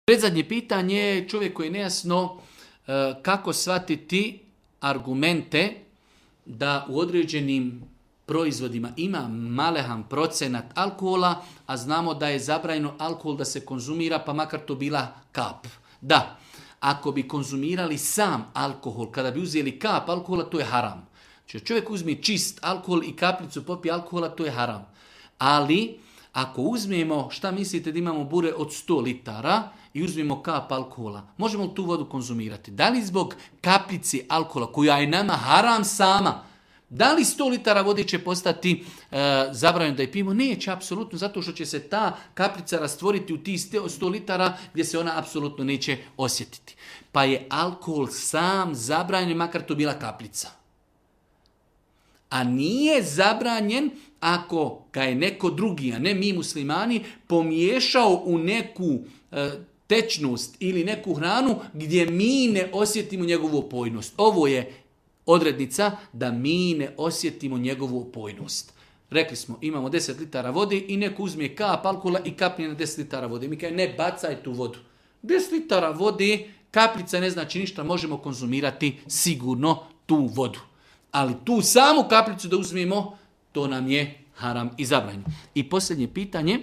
Predzadnje pitanje je čovjek koji je nejasno kako shvatiti argumente da u određenim proizvodima ima malehan procenat alkohola, a znamo da je zabranjeno alkohol da se konzumira, pa makar to bila kap. Da, ako bi konzumirali sam alkohol, kada bi uzeli kap alkohola, to je haram. Znači, čovjek uzme čist alkohol i kaplicu popije alkohola, to je haram. Ali, ako uzmemo, šta mislite da imamo bure od 100 litara i uzmemo kap alkohola, možemo li tu vodu konzumirati? Da li zbog kaplici alkohola, koja je nama haram sama, da li 100 litara vode će postati zabranjeno da je pijemo? Neće, apsolutno, zato što će se ta kaplica rastvoriti u tih 100 litara gdje se ona apsolutno neće osjetiti. Pa je alkohol sam zabranjen, makar to bila kaplica. A nije zabranjen ako ga je neko drugi, a ne mi muslimani, pomiješao u neku tečnost ili neku hranu gdje mi ne osjetimo njegovu opojnost. Ovo je odrednica da mi ne osjetimo njegovu opojnost. Rekli smo, imamo 10 litara vode i neko uzme kap alkohola i kapne na 10 litara vode. Mi kaže, ne bacaj tu vodu. 10 litara vode, kaplica ne znači ništa, možemo konzumirati sigurno tu vodu. Ali tu samu kaplicu da uzmemo, to nam je haram i zabranjeno. I posljednje pitanje,